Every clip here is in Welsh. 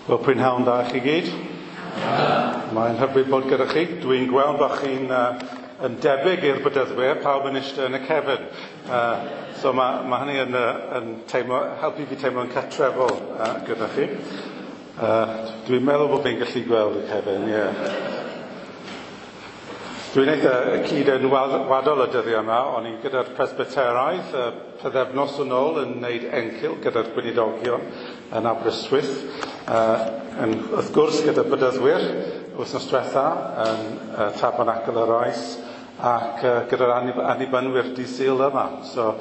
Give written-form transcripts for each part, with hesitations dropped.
Wel, prynhawn da i chi gyd. Mae'n hyfryd bod gyda chi. Dwi'n gweld bod chi'n yn debyg i'r bedyddwyr, pawb yn eistedd yn y cefn. So mae hynny yn teimlo, helpu fi teimlo'n cartrefol gyda chi. Dwi'n meddwl bod fi'n gallu gweld y cefn, ie. Yeah. Dwi'n eitha cyd-enwadol y dyddiau yma, o'n i'n gyda'r presbyteraidd pythefnos yn ôl yn wneud encil gyda'r gweinidogion yn Aberystwyth. Wrth gwrs gyda bedyddwyr wythnos diwetha yn Tabernacl yr Oes ac gyda'r annibynwyr dydd Sul yma. So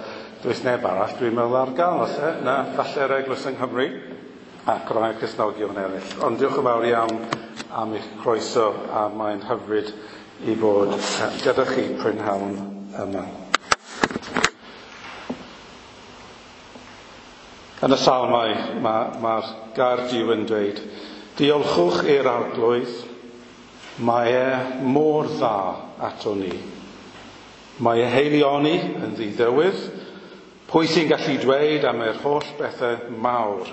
does neb arall dwi'n meddwl ar gael, oes e? Na, falle'r Eglwys yng Nghymru ac rai Cristnogion eraill. Ond diolch yn fawr iawn am eich croeso a mae'n hyfryd i fod gyda chi prynhawn yma. Yn y Salmau mae'r gair Duw yn dweud, diolchwch i'r Arglwydd, mae e mor dda ato ni. Mae e heilioni yn ddiddywydd, pwy sy'n gallu dweud am yr holl bethau mawr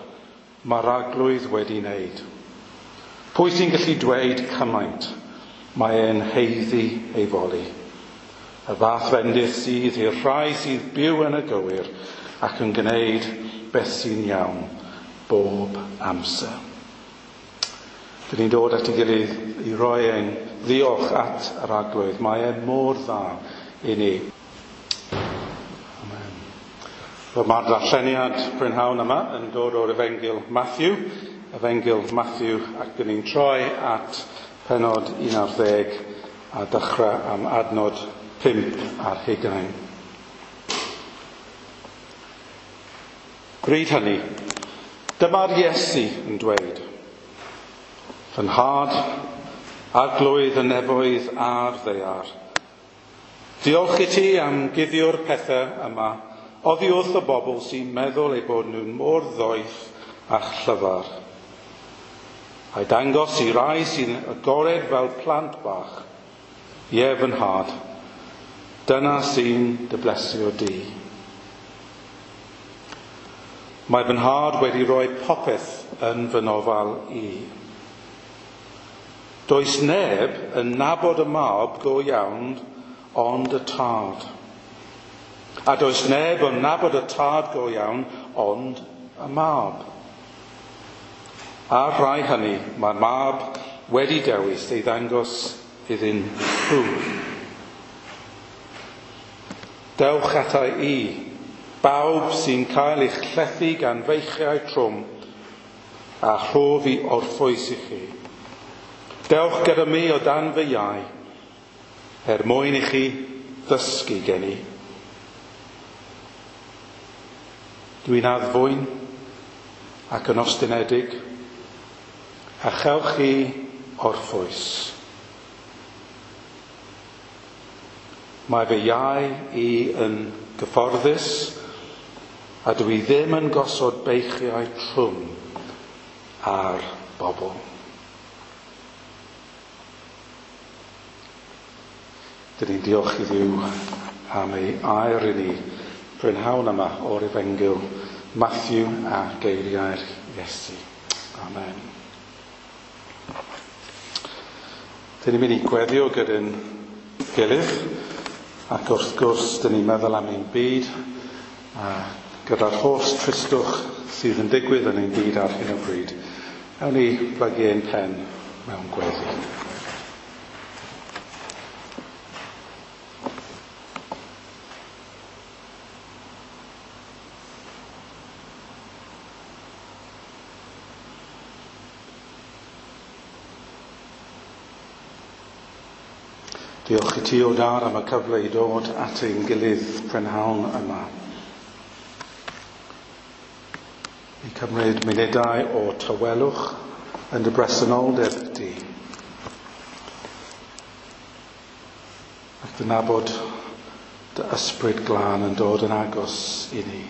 mae'r Arglwydd wedi wneud? Pwy sy'n gallu dweud cymaint? Mae e'n haeddu ei foli. Y fath fendith sydd i'r rhai sydd byw yn y gywir ac yn gwneud beth sy'n iawn bob amser. Dyn ni'n dod at ei gilydd i roi ein ddiolch at yr Arglwydd. Mae e mor dda i ni. Amen. Wel, mae'r darlleniad prynhawn yma yn dod o'r Efengyl Matthew. Efengyl Matthew, ac dyn ni'n troi at penod 11 a dechrau am adnod 5 ar 20. Bryd hynny, dyma'r Iesu yn dweud, fy nhad, Arglwydd y nefoedd a'r ddaear, diolch i ti am guddio'r pethau yma oddi wrth y bobl sy'n meddwl eu bod nhw'n mor ddoeth a chlyfar. A'i dangos i rai sy'n agored fel plant bach, ie fy nhad, dyna sy'n dy blesio di. Mae fy nhad wedi rhoi popeth yn fy nofal i. Does neb yn nabod y mab go iawn ond y tad. A does neb yn nabod y tad go iawn ond y mab. A'r rhai hynny, mae'r mab wedi dewis ei ddangos iddyn nhw. Dewch ata i, bawb sy'n cael eich llethu gan feichiau trwm, a rhof i orffwys i chi. Dewch gyda mi o dan fy iau, er mwyn i chi ddysgu gen i. Dwi'n addfwyn ac yn ostynedig, a chewch chi orffwys. Mae fy iau i yn gyfforddus, a dwi ddim yn gosod beichiau trwm ar bobl. Dyn ni'n diolch i Dduw am ei air i ni prynhawn yma o'r Efengyl Matthew a geiriau'r Iesu. Amen. Dyn ni'n mynd i gweddio gyda'n gilydd, ac wrth gwrs dyn ni'n meddwl am ein byd, a gyda'r holl tristwch sydd yn digwydd yn ein byd ar hyn o bryd. Awn ni blygu ein pen mewn gweddi. Diolch i ti o Dad am y cyfle i dod at ein gilydd prynhawn yma. I cymryd munudau o tawelwch yn dy bresenoldeb di. Ac dy nabod dy ysbryd glân yn dod yn agos i ni.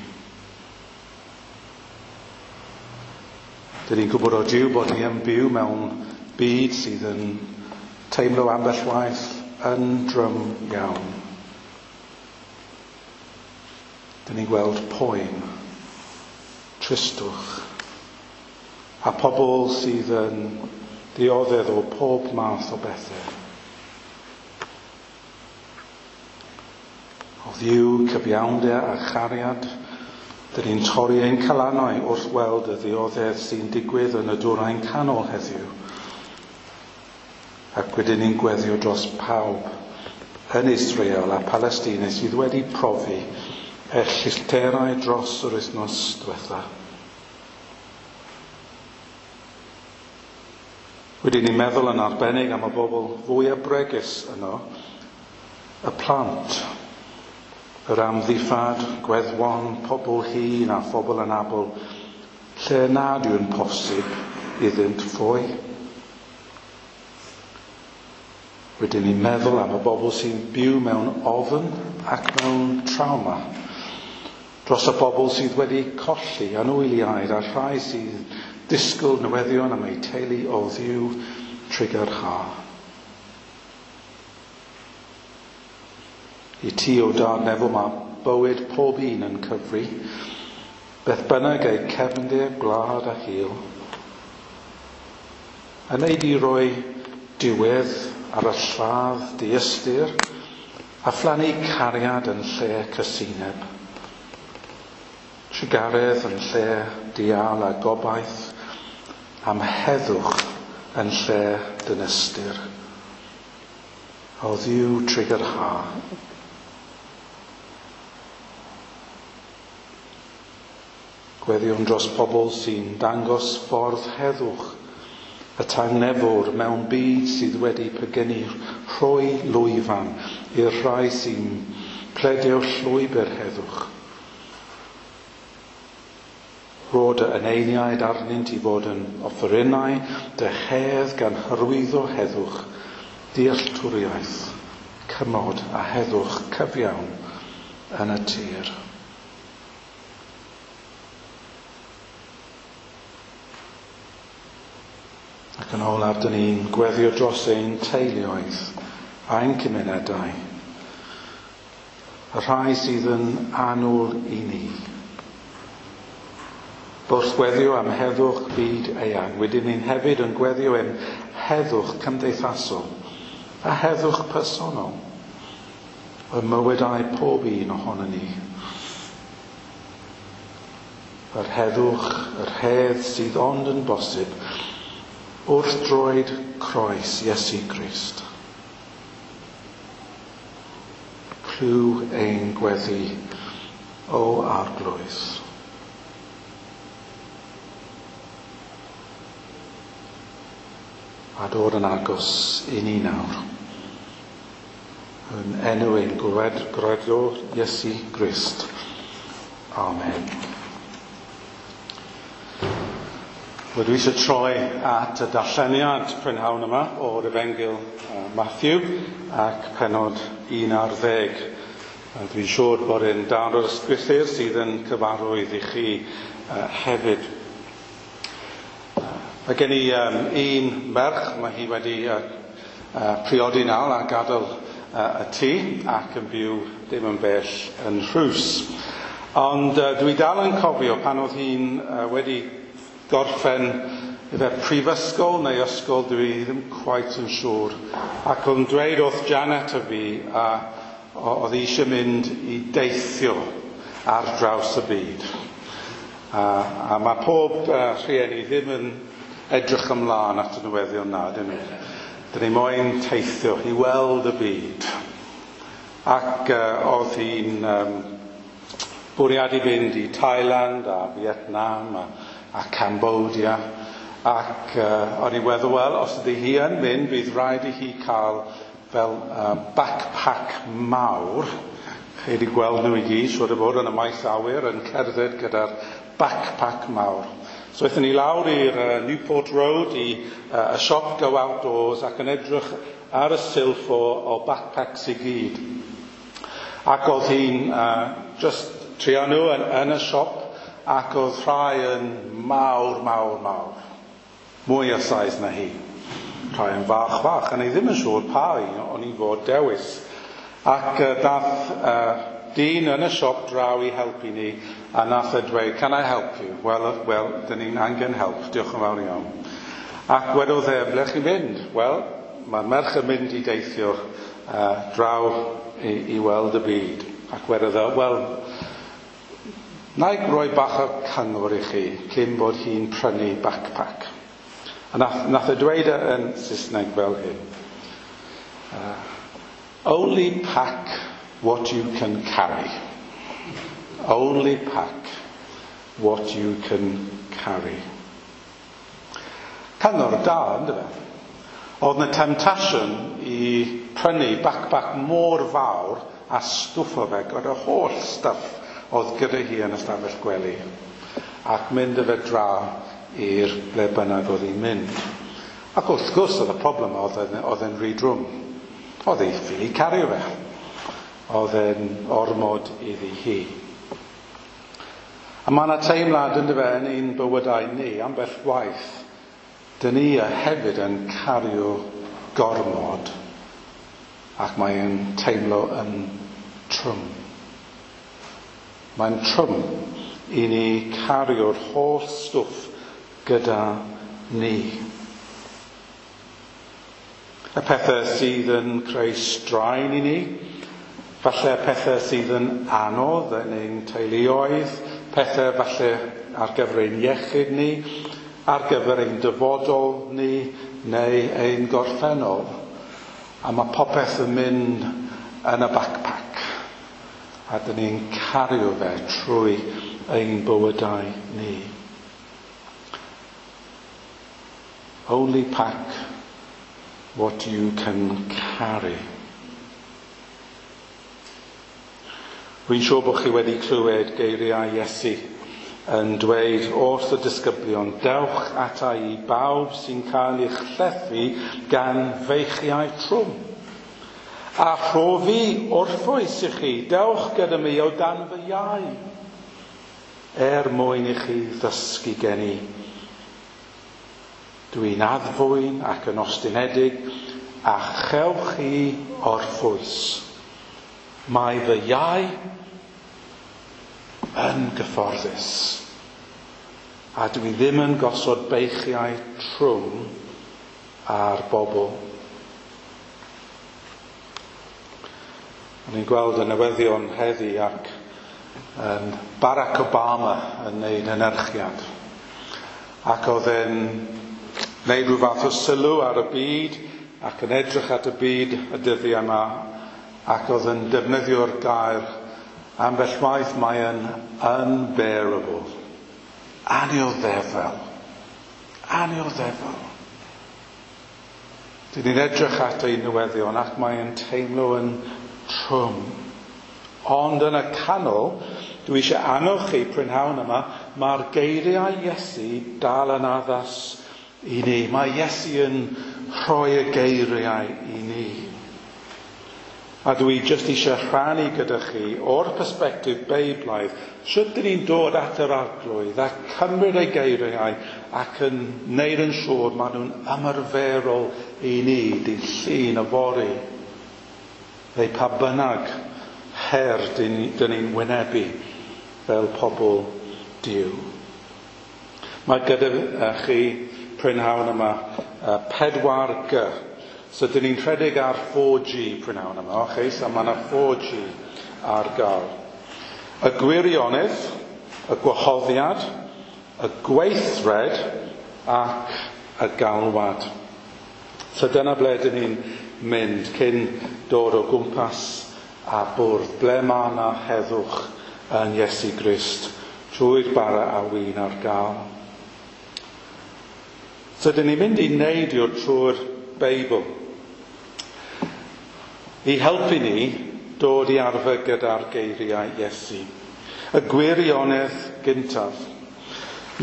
Dyn ni'n gwybod o Duw bod ni yn byw mewn byd sydd yn teimlo ambell waith yn drwm iawn. Dyn ni'n gweld poen, tristwch, A pobl sydd yn dioddef o pob math o bethau. O Dduw, cyfiawnder a chariad, dyn ni'n torri ein calannau wrth weld y ddioddef sy'n digwydd yn y dwyrain canol heddiw. Ac wedyn ni'n gweddio dros pawb yn Israel a Palestina sydd wedi profi erchyllterau dros yr wythnos diwetha. Wedyn ni'n meddwl yn arbennig am y bobl fwyaf bregus yno, y plant, yr amddifad, gweddwon, pobl hŷn a phobl anabl, lle nad yw'n posib iddynt ffoi. Wedyn ni'n meddwl am y bobl sy'n byw mewn ofn ac mewn trawma. Dros y bobl sydd wedi colli anwyliaid a'r rhai sydd disgwyl newyddion am eu teulu o Dduw Trugarha. I ti o dad nefol mae bywyd pob un yn cyfri, beth bynnag eu cefndir, gwlad a hil. A wneud i roi diwedd ar y lladd diystyr a phlannu cariad yn lle cysineb. Trugaredd yn lle dial a gobaith am heddwch yn lle dynystyr. O Dduw trugarha. Gweddiwn dros pobl sy'n dangos ffordd heddwch y tangnefwr mewn byd sydd wedi pegynu rhoi lwyfan i'r rhai sy'n pledio llwybr heddwch. Rho dy eneiniaid arnynt i fod yn offerynnau dy hedd gan hyrwyddo heddwch, dealltwriaeth, cymod a heddwch cyfiawn yn y tir. Ac yn olaf, dyn ni'n gweddio dros ein teuluoedd a'n cymunedau, y rhai sydd yn annwyl i ni. Wrth gweddio am heddwch byd eang, wedyn ni'n hefyd yn gweddio am heddwch cymdeithasol a heddwch personol ym mywydau pob un ohonon ni. Yr heddwch, yr hedd sydd ond yn bosib wrth droed croes Iesu Grist. Clyw ein gweddi, o Arglwydd. A dod yn agos i ni nawr. Yn enw ein Gwredwr Iesu Grist. Amen. Wel, dwi eisiau troi at y darlleniad prynhawn yma o'r Efengyl Matthew ac pennod 11. Dwi'n siŵr bod e'n darn o'r ysgrythur sydd yn cyfarwydd i chi hefyd. Mae gen i un merch, mae hi wedi priodi nawr a gadael y tŷ ac yn byw dim yn bell yn Rhws. Ond dwi dal yn cofio pan oedd hi'n wedi gorffen ife prifysgol neu ysgol, dwi ddim quite yn siŵr. Ac oedd yn dweud wrth Janet a fi, a oedd hi eisiau mynd i deithio ar draws y byd. A mae pob rhieni ddim yn edrych ymlaen at y newyddion na, dyn nhw. Dyn ni moyn teithio i weld y byd. Ac oedd hi'n bwriadu fynd i Thailand a Vietnam a Cambodia. Ac o'n i'n meddwl, wel, os ydy hi yn mynd, bydd rhaid i hi cael fel backpack mawr. Chi wedi gweld nhw i gyd, siŵr o fod yn y maes awyr, yn cerdded gyda'r backpack mawr. So aethon ni lawr i'r Newport Road i y siop Go Outdoors ac yn edrych ar y silff o backpacks i gyd. Ac oedd hi'n just trio nhw yn y siop ac oedd rhai yn mawr, mawr, mawr. Mwy o size na hi. Rhai yn fach, fach. A ni ddim yn siŵr pa un o'n i'n fod dewis. Ac dath dyn yn y siop draw i helpu ni, a nath e dweud, "Can I help you?" Wel, dyn ni'n angen help, diolch yn fawr iawn. Ac wedodd e, "Ble chi'n mynd?" Wel, mae'r merch yn mynd i deithio draw i weld y byd. Ac wedodd e, "Wel, na i roi bach o cyngor i chi cyn bod hi'n prynu backpack." A nath e dweud e yn Saesneg fel hyn. "Only pack what you can carry. Only pack what you can carry." Cyngor da, ynddo fe? Oedd na temptation i prynu backpack mor fawr a stwffo fe gyda holl stuff oedd gyda hi yn ystafell gwely ac mynd â fe draw i'r ble bynnag oedd hi'n mynd. Ac wrth gwrs oedd y problem oedd e'n rhy drwm. Oedd hi ffili cario fe. Oedd e'n ormod iddi hi. A mae yna teimlad ynddo fe yn ein bywydau ni, ambell waith, dyn ni hefyd yn cario gormod ac mae'n teimlo yn trwm. Mae'n trwm i ni cario'r holl stwff gyda ni. Y pethau sydd yn creu straen i ni, falle pethau sydd yn anodd yn ein teuluoedd, pethau falle ar gyfer ein iechyd ni, ar gyfer ein dyfodol ni, neu ein gorffennol. A mae popeth yn mynd yn y backpack. A dyn ni'n cario fe trwy ein bywydau ni. Only pack what you can carry. Rwy'n siŵr bod chi wedi clywed geiriau Iesu yn dweud wrth y disgyblion, "Dewch ata i bawb sy'n cael eich llethu gan feichiau trwm. A rhof i orffwys i chi, dewch gyda mi o dan fy iau, er mwyn i chi ddysgu gen i. Dwi'n addfwyn ac yn ostynedig, a chewch chi orffwys. Mae fy iau yn gyfforddus. A dwi ddim yn gosod beichiau trwm ar bobl." O'n i'n gweld y newyddion heddi ac Barack Obama yn neud anerchiad. Ac oedd e'n neud rhyw fath o sylw ar y byd ac yn edrych at y byd y dyddiau yma ac oedd yn defnyddio'r gair ambell waith mae yn unbearable. Annioddefol. Annioddefol. Dyn ni'n edrych at ein newyddion ac mae'n teimlo yn trwm. Ond yn y canol, dwi eisiau annog chi prynhawn yma, mae'r geiriau Iesu dal yn addas i ni. Mae Iesu yn rhoi y geiriau i ni. A dwi jyst eisiau rhannu gyda chi o'r persbectif Beiblaidd, sut dyn ni'n dod at yr Arglwydd a cymryd ei geiriau ac yn neud yn siŵr maen nhw'n ymarferol i ni, dydd Llun yfory, neu pa bynnag her dyn ni'n wynebu fel pobl Duw. Mae gyda chi prynhawn yma 4G. So dyn ni'n rhedeg ar 4G prynhawn yma, okay? So mae yna 4G ar gael. Y gwirionedd, y gwahoddiad, y gweithred ac y galwad. So dyna ble dyn ni'n mynd cyn dod o gwmpas a bwrdd. Ble mae yna heddwch yn Iesu Grist trwy'r bara a win ar gael. So dyn ni'n mynd i neidio trwy'r Beibl i helpu ni dod i arfer gyda'r geiriau Iesu. Y gwirionedd gyntaf.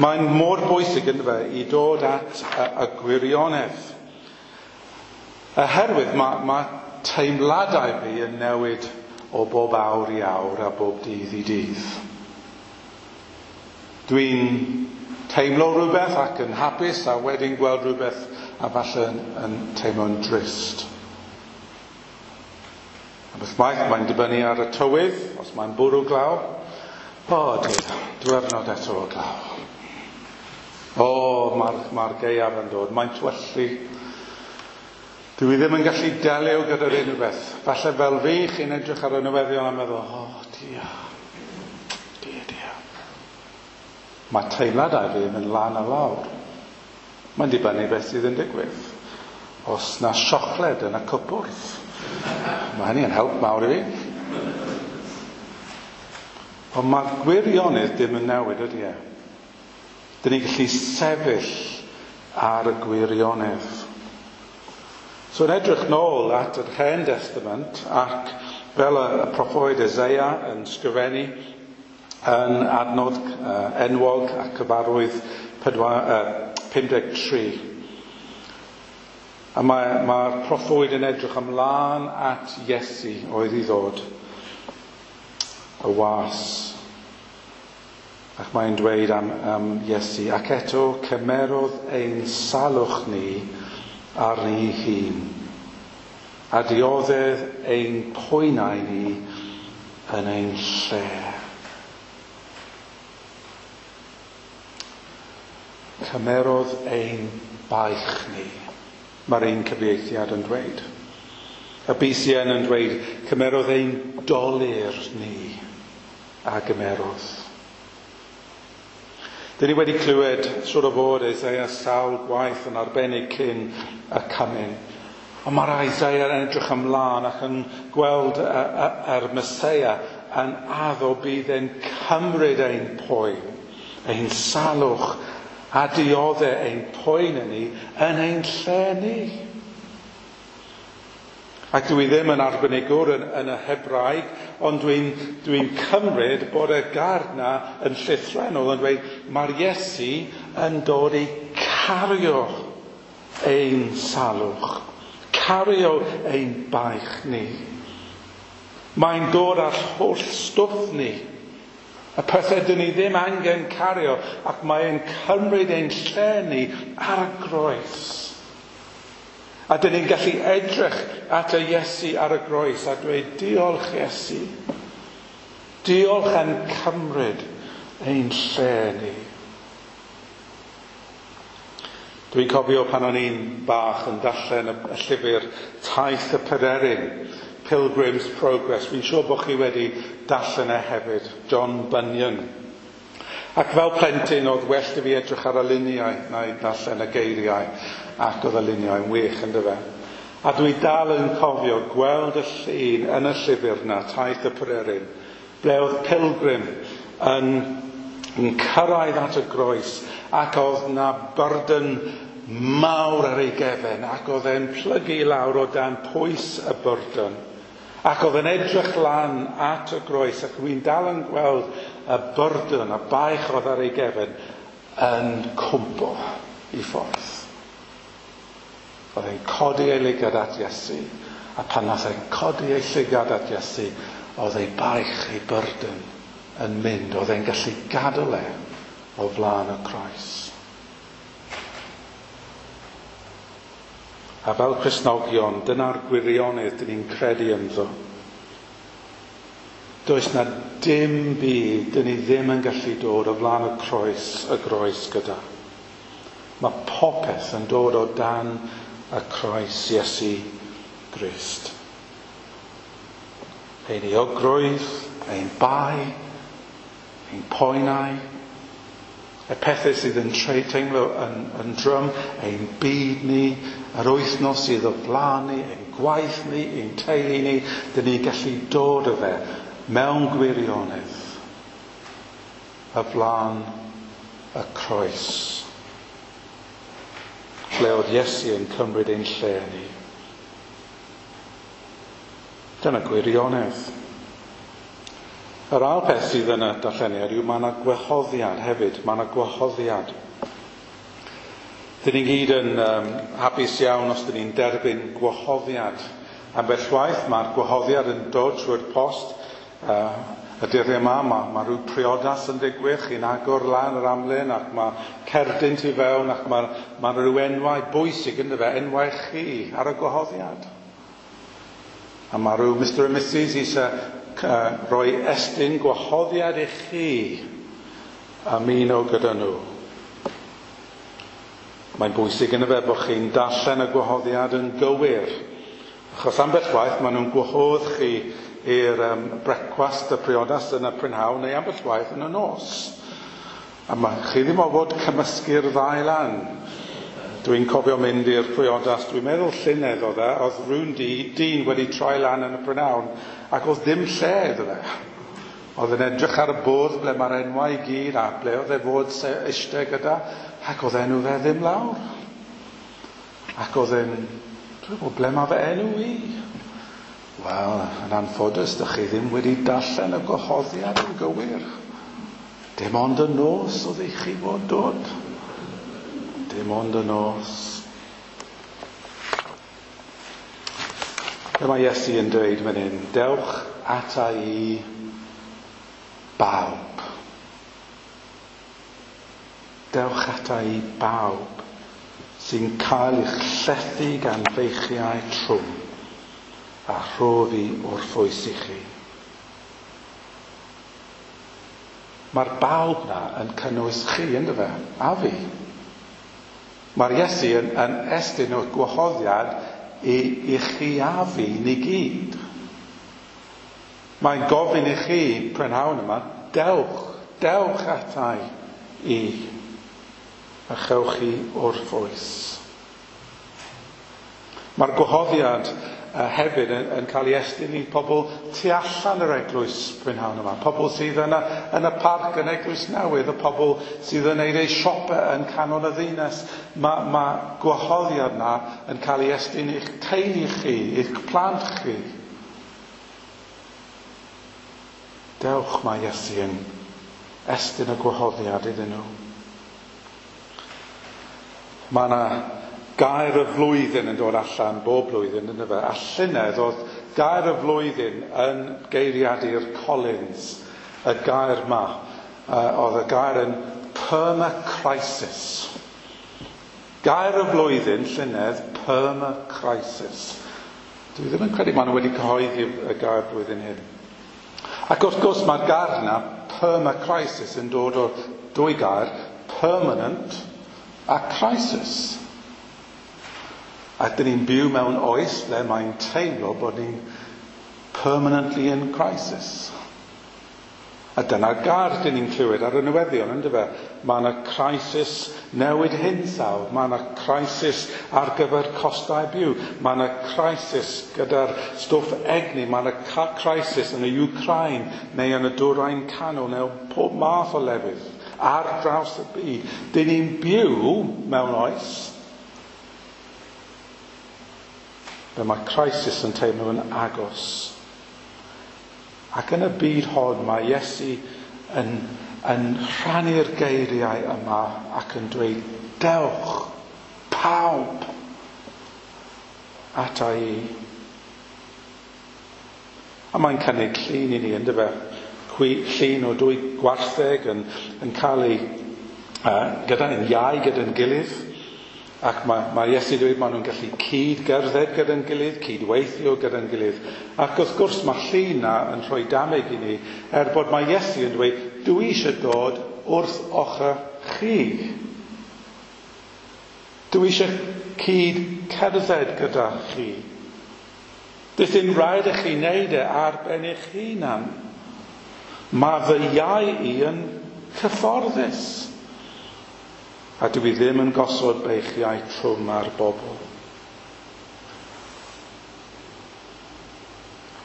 Mae'n mor bwysig ynddo fe i dod at y gwirionedd. Oherwydd mae teimladau fi yn newid o bob awr i awr a bob dydd i dydd. Dwi'n teimlo rhywbeth ac yn hapus a wedyn gweld rhywbeth a falle yn teimlo'n drist. A beth maith, mae'n dibynnu ar y tywydd, os mae'n bwrw glaw. O, diar, diwrnod eto o glaw. O, mae'r mae gaeaf yn dod, mae'n twyllu. Dwi ddim yn gallu delio gyda'r unrhyw beth. Falle fel fi, chi'n edrych ar y newyddion a meddwl, o, dia, dia, dia. Mae teimladau fi yn mynd lan a lawr. Mae'n dibynnu beth sydd yn digwydd. Os na siocled yn y cwpwrdd, mae hynny yn help mawr i fi. Ond mae gwirionedd ddim yn newid, ydy e? Dyn ni'n gallu sefyll ar y gwirionedd. So yn edrych nôl at yr Hen Testament ac fel y proffwyd Isaiah yn sgrifennu yn adnod enwog ac cyfarwydd 53. A mae'r mae proffwyd yn edrych ymlaen at Iesu oedd i ddod, y was. Ac mae'n dweud am Iesu, ac eto cymerodd ein salwch ni arni hun, a dioddedd ein poenau ni yn ein lle. Cymerodd ein baich ni, mae'r un cyfieithiad yn dweud. Y BCN yn dweud, cymerodd ein dolur ni a gymerodd. Dyn ni wedi clywed siwr o fod Isaiah sawl gwaith yn arbennig cyn y cymun. Ond mae'r Isaiah yn edrych ymlaen ac yn gweld yr Meseia yn addo bydd e'n cymryd ein poen, ein salwch a dioddau ein poen ni yn ein lle ni. Ac dwi ddim yn arbenigwr yn y Hebraeg, ond dwi'n dwi cymryd bod y gair na yn llythrennol yn dweud mae'r Iesu yn dod i cario ein salwch, cario ein baich ni. Mae'n dod â'r holl stwff ni, y pethau dyn ni ddim angen cario, ac mae'n cymryd ein lle ni ar y groes. A dyn ni'n gallu edrych at y Iesu ar y groes a dweud, diolch Iesu. Diolch am cymryd ein lle ni. Dwi'n cofio pan o'n i'n bach yn darllen y llyfr Taith y Pererin, Pilgrim's Progress. Fi'n siŵr bod chi wedi darllen e hefyd, John Bunyan. Ac fel plentyn oedd well i fi edrych ar y luniau na i darllen y geiriau, ac oedd y luniau yn wych yn dyfe. A dwi dal yn cofio gweld y llun yn y llyfr na, Taith y Pererin, ble oedd pilgrim yn cyrraedd at y groes ac oedd na burden mawr ar ei gefen ac oedd e'n plygu lawr o dan pwys y burden. Ac oedd e'n edrych lan at y groes ac dwi'n dal yn gweld y burden, y baich oedd ar ei gefen yn cwmpo i ffordd. Oedd e'n codi ei lygad at Iesu, a pan nath e'n codi ei llygad at Iesu, oedd ei baich, ei burden yn mynd, oedd e'n gallu gadael e o flaen y croes. A fel Cristnogion, dyna'r gwirionedd dyn ni'n credu ynddo. Does na dim byd dyn ni ddim yn gallu dod o flaen y croes gyda. Mae popeth yn dod o dan y croes Iesu Grist. Ein euogrwydd, ein bai, ein poenau, y pethau sydd yn teimlo yn drwm, ein byd ni, yr wythnos sydd o flaen ni, ein gwaith ni, ein teulu ni, dyn ni'n gallu dod o fe mewn gwirionedd y flaen y croes. Ble oedd Iesu yn cymryd ein lle ni. Dyna gwirionedd. Yr ail peth sydd yn y darlleniad yw mae yna gwahoddiad hefyd. Mae yna gwahoddiad. Dyn ni gyd yn hapus iawn os dyn ni'n derbyn gwahoddiad. Ambell waith mae'r gwahoddiad yn dod trwy'r post. Y dyddiau yma, mae rhyw priodas yn digwydd, chi'n agor lan yr amlen ac mae cerdyn tu fewn ac mae rhyw enwau bwysig ynddo fe, enwau chi ar y gwahoddiad. A mae rhyw Mr and Mrs eisiau rhoi estyn gwahoddiad i chi ymuno gyda nhw. Mae'n bwysig yn y fe bod chi'n darllen y gwahoddiad yn gywir. Achos ambell waith maen nhw'n gwahodd chi i'r brecwast y priodas yn y prynhawn neu ambell waith yn y nos. A mae chi ddim o fod cymysgu'r ddau lan. Dwi'n cofio mynd i'r priodas, dwi'n meddwl llynedd oedd e, oedd rhywun dyn wedi troi lan yn y prynhawn ac oedd ddim lle iddo fe. Oedd yn edrych ar y bwrdd ble mae'r enwau i gyd a ble oedd e fod eistedd gyda, ac oedd enw fe ddim lawr. Ac oedd e'n, dwi'n gwybod ble mae fy enw i? Wel, yn anffodus, dych chi ddim wedi darllen y gwahoddiad yn gywir. Dim ond y nos oedd i chi fod dod. Dim ond y nos. Be mae Iesu yn dweud fan hyn, dewch ata i bawb. Dewch ata i bawb sy'n cael eich llethu gan feichiau trwm a rhof i orffwys i chi. Mae'r bawb na yn cynnwys chi, ynddo fe, a fi. Mae'r Iesu yn estyn o'r gwahoddiad i chi a fi, ni gyd. Mae'n gofyn i chi prynhawn yma, dewch, dewch atai i, a chewch chi orffwys. Mae'r gwahoddiad hefyd yn cael ei estyn i pobl tu allan yr eglwys prynhawn yma. Pobl sydd yn y parc yn Eglwys Newydd, y pobl sydd yn neud eu siopa yn canol y ddinas. Mae gwahoddiad na yn cael ei estyn i'ch teulu chi, i'ch plant chi. Dewch, mae Iesu yn estyn y gwahoddiad iddyn nhw. Mae yna gair y flwyddyn yn dod allan bob blwyddyn, ynddo fe. A llynedd oedd gair y flwyddyn yn geiriadur Collins, y gair ma. Oedd y gair yn permacrisis. Gair y flwyddyn llynedd, permacrisis. Dwi ddim yn credu maen nhw wedi cyhoeddi y gair blwyddyn hyn. Ac wrth gwrs mae'r gair yna, permacrisis, yn dod o dwy gair, permanent a crisis. A dyn ni'n byw mewn oes lle mae'n teimlo bod ni'n permanently in crisis. A dyna'r gair dyn ni'n clywed ar y newyddion, ynddo fe? Mae yna crisis newid hinsawdd, mae yna crisis ar gyfer costau byw, mae yna crisis gyda'r stwff egni, mae yna crisis yn y Ukraine neu yn y Dwyrain Canol neu pob math o lefydd ar draws y byd. Dyn ni'n byw mewn oes ble mae crisis yn teimlo yn agos. Ac yn y byd hon mae Iesu yn rhannu'r geiriau yma ac yn dweud, dewch, pawb, ata i. A mae'n cynnig llun i ni, ynddo fe? Llun o dwy gwartheg yn cael ei gyda'n iau gyda'n gilydd. Ac mae Iesu dweud maen nhw'n gallu cyd-gerdded gyda'n gilydd, cyd-weithio gyda'n gilydd. Ac wrth gwrs mae llun na yn rhoi dameg i ni, er bod mae Iesu yn dweud, dwi eisiau dod wrth ochr chi. Dwi eisiau cyd-cerdded gyda chi. Does dim rhaid i chi wneud e ar ben eich hunan. Mae fy iau i yn cyfforddus. A dwi ddim yn gosod beichiau trwm ar bobl.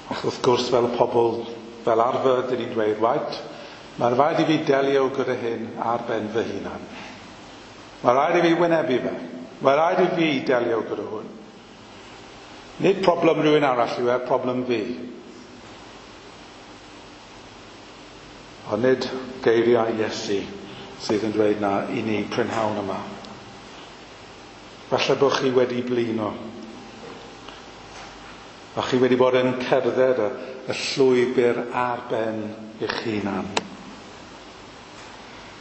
Ac wrth gwrs, fel pobl, fel arfer, dyn ni'n dweud, right, mae'n rhaid i fi delio gyda hyn ar ben fy hunan. Mae'n rhaid i fi wynebu fe. Mae'n rhaid i fi delio gyda hwn. Nid problem rhywun arall yw e, problem fi. Ond nid geiriau Iesu sydd yn dweud na i ni prynhawn yma. Falle bod chi wedi blino. A chi wedi bod yn cerdded y llwybr ar ben eich hunan.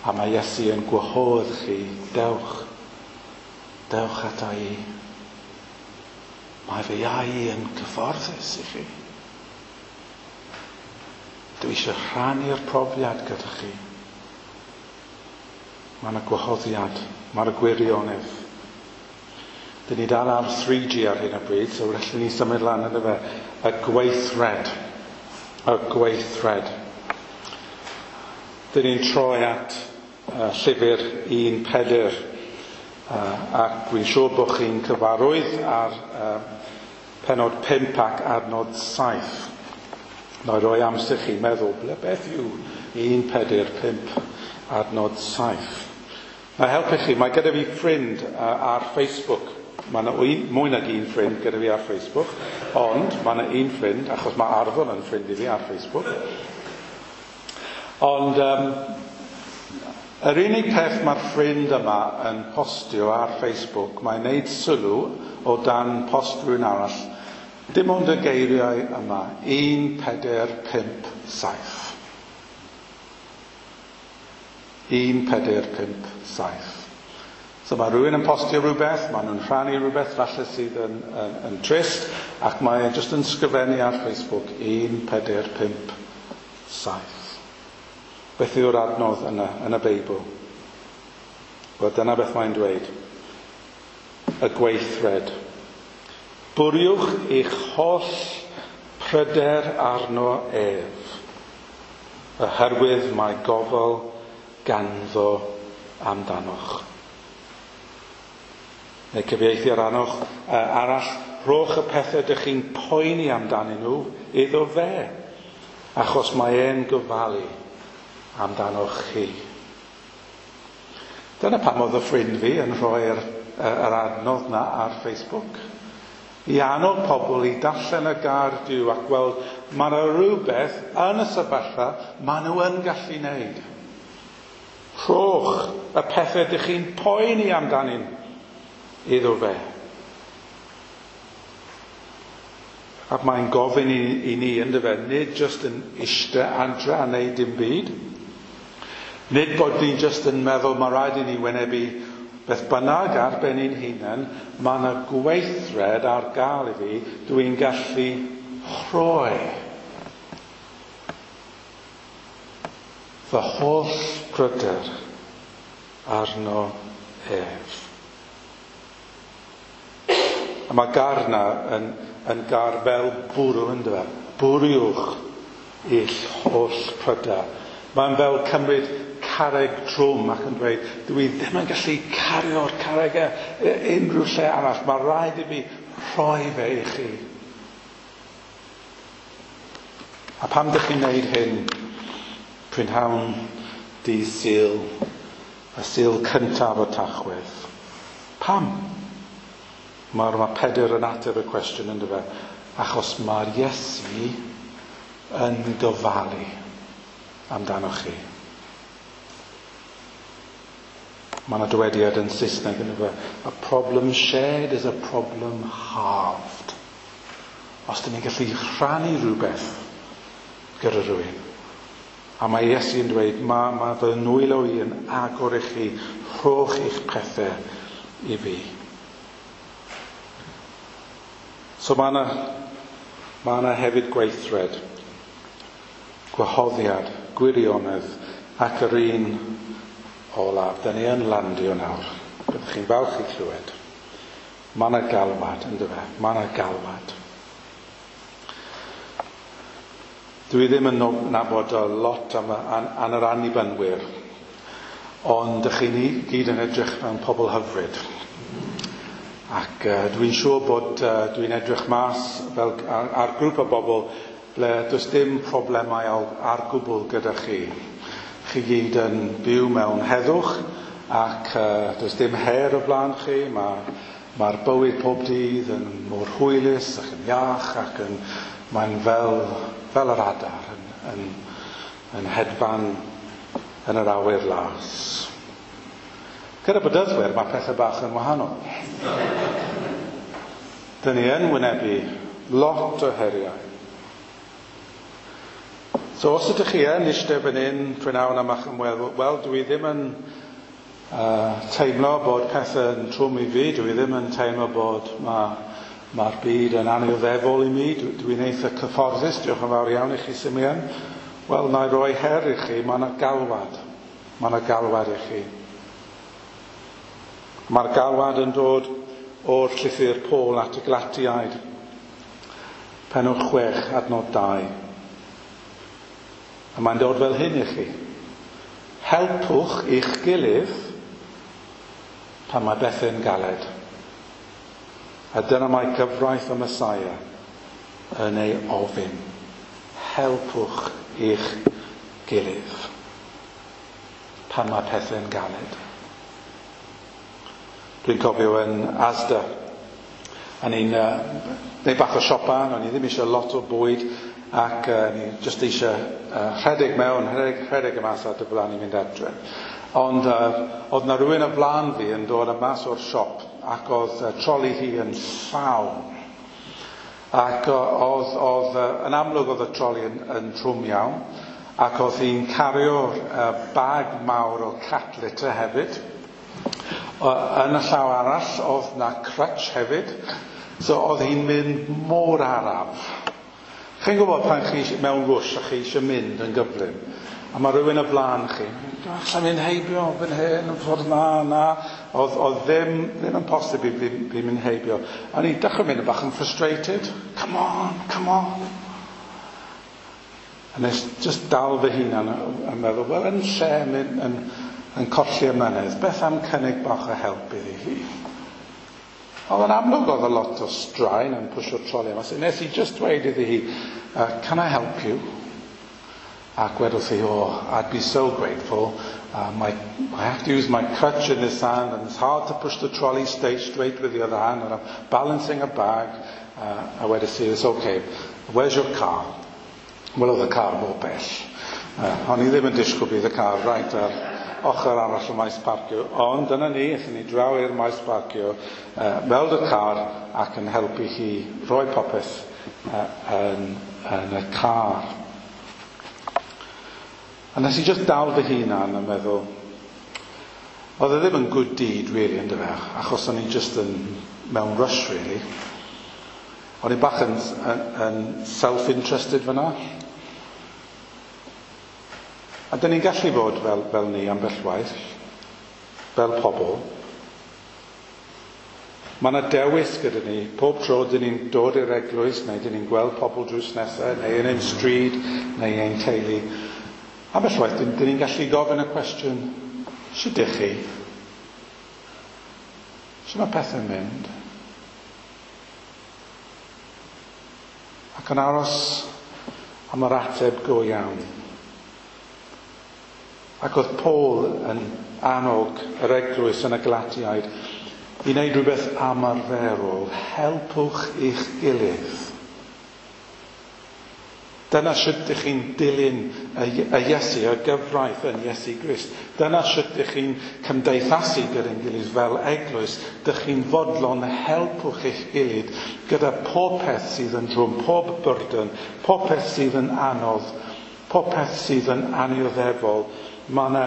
A mae Iesu yn gwahodd chi, dewch, dewch ata i. Mae fy iau yn cyfforddus i chi. Dwi eisiau rhannu'r profiad gyda chi. Mae yna gwahoddiad, mae'r gwirionedd. Dyn ni dal ar 3G ar hyn o bryd, so felly ni symud lan yna fe. Y gweithred. Y gweithred. Dyn ni'n troi at llyfr 1 Pedr. Ac dwi'n siŵr bod chi'n cyfarwydd ar penod 5 ac adnod 7. Na i roi amser chi meddwl, ble beth yw 1 Pedr 5 adnod 7. Na helpu chi, mae gyda fi ffrind ar Facebook. Mae yna mwy nag un ffrind gyda fi ar Facebook, ond mae yna un ffrind, achos mae Arfon yn ffrind i fi ar Facebook. Ond yr unig peth mae'r ffrind yma yn postio ar Facebook, mae'n neud sylw o dan post rhywun arall, dim ond y geiriau yma, 1, 4, 5, 7. 1, 4, 5, 7. So mae rhywun yn postio rhywbeth, maen nhw'n rhannu rhywbeth falle sydd yn trist, ac mae e jyst yn sgrifennu ar Facebook 1, 4, 5, 7. Beth yw'r adnodd yna yn y Beibl? Wel, dyna beth mae'n dweud. Y gweithred. Bwriwch eich holl pryder arno ef, oherwydd mae gofal ganddo amdanoch. Neu cyfieithu arall, rhowch y pethau dych chi'n poeni amdanyn nhw iddo fe, achos mae e'n gofalu amdanoch chi. Dyna pam oedd y ffrind fi yn rhoi'r yr adnodd na ar Facebook. I annog pobl i darllen y gair Duw ac gweld mae yna rhywbeth yn y sefyllfa maen nhw yn gallu wneud. Rhowch y pethau dych chi'n poeni amdanyn iddo fe. Ac mae'n gofyn i ni yndyfe, nid jyst yn eistedd adre a wneud dim byd. Nid bod ni'n jyst yn meddwl mae rhaid i ni wynebu beth bynnag ar ben ein hunain, mae yna gweithred ar gael i fi, dwi'n gallu rhoi fy holl pryder arno ef. A mae gair na yn gair fel bwrw ynddo fe. Bwriwch eich holl pryder. Mae'n fel cymryd carreg trwm ac yn dweud, dwi ddim yn gallu cario'r carreg unrhyw lle arall. Mae rhaid i fi rhoi fe i chi. A pam dych chi'n neud hyn? Prynhawn dydd Sul, y Sul cyntaf o Tachwedd. Pam? Mae Pedr yn ateb y cwestiwn ynddo fe, achos mae'r Iesu yn gofalu amdanoch chi. Mae yna dywediad yn Saesneg ynddo fe, a problem shared is a problem halved. Os dyn ni'n gallu rhannu rhywbeth gyda rhywun, a mae Iesu yn dweud, mae fy nwylo i yn agor i chi, rhowch eich pethau i fi. So mae yna hefyd gweithred, gwahoddiad, gwirionedd, ac yr un olaf. Dyn ni yn landio nawr. Byddwch chi'n falch i clywed. Mae yna galwad, ynddo fe? Mae yna galwad. Dwi ddim yn nabod a lot am yr annibynwyr, ond dych chi gyd yn edrych mewn pobl hyfryd. Ac dwi'n siŵr bod dwi'n edrych mas fel ar grŵp o bobl ble does dim problemau ar gwbl gyda chi. Chi gyd yn byw mewn heddwch ac does dim her o blaen chi. Mae'r bywyd pob dydd yn mor hwylus ac yn iach ac mae'n fel yr adar yn hedfan yn yr awyr las. Gyda bedyddwyr mae pethau bach yn wahanol. Dyn ni yn wynebu lot o heriau. So os ydych chi yn eistedd fan hyn prynhawn am a'ch ymweld, wel dwi ddim yn teimlo bod pethau yn trwm i fi, dwi ddim yn teimlo bod mae Mae'r byd yn anioddefol i mi, dwi'n eitha cyfforddus, diolch yn fawr iawn i chi, Simeon. Wel, na i roi her i chi, mae yna galwad. Mae yna galwad i chi. Mae'r galwad yn dod o'r llythyr Paul at y Galatiaid, pennod 6, adnod 2. A mae'n dod fel hyn i chi. Helpwch i'ch gilydd pan mae bethau'n galed. A dyna mae gyfraith y Messiah yn ei ofyn. Helpwch i'ch gilydd pan mae pethau'n galed. Dwi'n cofio yn Asda, a ni'n neud bach o siopa, o'n i ddim eisiau lot o bwyd, ac ni jyst eisiau rhedeg mewn, rhedeg y mas a diflannu mynd adre. Ond oedd na rhywun o flaen fi yn dod y mas o'r siop ac oedd troli hi yn llawn. Ac oedd yn amlwg oedd y troli yn trwm iawn, ac oedd hi'n cario'r bag mawr o cat litter hefyd. Yn y llaw arall oedd na crutch hefyd, so oedd hi'n mynd mor araf. Chi'n gwybod pan chi mewn rush a chi eisiau mynd yn gyflym, a mae rhywun o flaen chi, allai mynd heibio fan hyn, yn ffordd na, na. Oedd ddim yn posib i fi mynd heibio. A ni'n dechrau mynd yn bach yn frustrated. Come on, come on. A nes just dal fy hunan a meddwl, wel, yn lle mynd yn colli ymynedd, beth am cynnig bach o help iddi hi? Oedd yn amlwg oedd a lot o straen yn pwysio troli yma. So nes i just dweud iddi hi, can I help you? Ac wedodd hi, oh, I'd be so grateful. I have to use my crutch in this hand, and it's hard to push the trolley straight with the other hand, and I'm balancing a bag. A wedodd hi, it's okay. Where's your car? Wel, oedd y car mor bell. O'n i ddim yn disgwyl bydd y car right ar ochr arall y maes parcio. Ond dyna ni, aethon ni draw i'r maes parcio, weld y car ac yn helpu hi roi popeth yn y car. A nes i just dal fy hunan yn meddwl, oedd e ddim yn good deed, really, yn dyfe, achos o'n i just yn mewn rush, really. O'n i bach yn self-interested fyna. A dyn ni'n gallu fod fel ni ambell waith, fel pobl. Mae yna dewis gyda ni. Pob tro dyn ni'n dod i'r eglwys, neu dyn ni'n gweld pobl drws nesaf, neu yn ein stryd, neu ein teulu. Ambell waith, dyn ni'n gallu gofyn y cwestiwn, sut ydych chi? Sut mae pethau'n mynd? Ac yn aros am yr ateb go iawn. Ac oedd Paul yn annog yr eglwys yn y Galatiaid i wneud rhywbeth amarferol. Helpwch eich gilydd. Dyna sut ydych chi'n dilyn y Iesu, y gyfraith yn Iesu Grist. Dyna sut ydych chi'n cymdeithasu gyda'n gilydd fel eglwys. Dych chi'n fodlon helpwch eich gilydd gyda pob peth sydd yn drwm, pob burden, pob peth sydd yn anodd, pob peth sydd yn annioddefol. Mae yna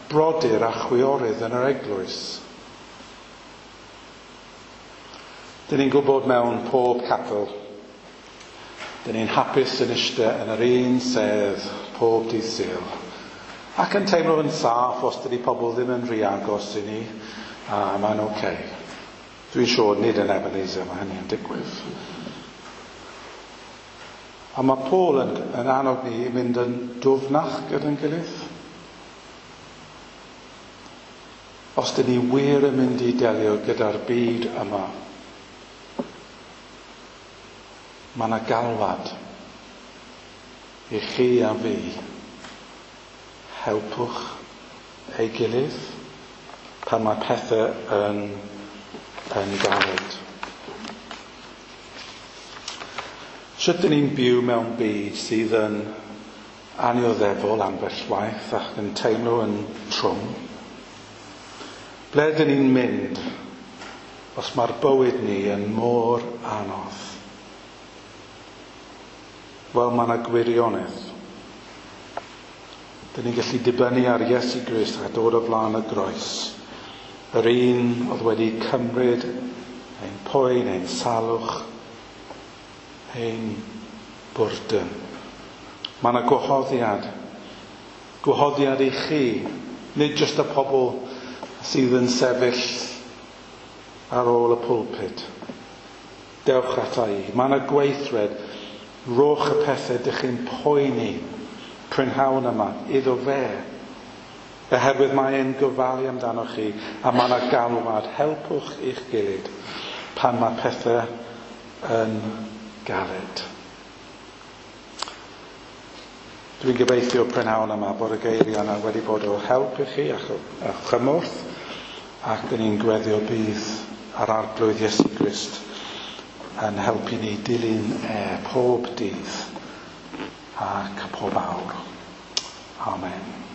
brodyr a chwiorydd yn yr eglwys. Dyn ni'n gwybod mewn pob capel, dyn ni'n hapus yn eistedd yn yr un sedd pob dydd Sul. Ac yn teimlo yn saff os dydy pobl ddim yn rhy agos i ni, a mae'n oce. Okay. Dwi'n siŵr nid yn Ebenezer mae hynny yn digwydd. A mae Paul yn annog ni i mynd yn dwfnach gyda'n gilydd. Os dyn ni wir yn mynd i delio gyda'r byd yma, mae yna galwad i chi a fi. Helpwch ei gilydd pan mae pethau yn galed. Sut dyn ni'n byw mewn byd sydd yn annioddefol ambell waith ac yn teimlo yn trwm? Ble dyn ni'n mynd os mae'r bywyd ni yn mor anodd? Wel, mae yna gwirionedd. Dyn ni'n gallu dibynnu ar Iesu Grist a dod o flaen y groes. Yr un oedd wedi cymryd ein poen, ein salwch, ein bwrdwn. Mae yna gwahoddiad. Gwahoddiad i chi, nid jyst y pobl sydd yn sefyll ar ôl y pulpit. Dewch ata i. Mae yna gweithred. Rhowch y pethau dych chi'n poeni prynhawn yma iddo fe. Oherwydd mae e'n gofalu amdano chi a mae yna galwad. Helpwch eich gilydd pan mae pethau yn galed. Dwi'n gobeithio prynhawn yma bod y geiriau yna wedi bod o help i chi a chymorth, ac dyn ni'n gweddio bydd ar Arglwydd Iesu Grist yn helpu ni dilyn e pob dydd ac pob awr. Amen.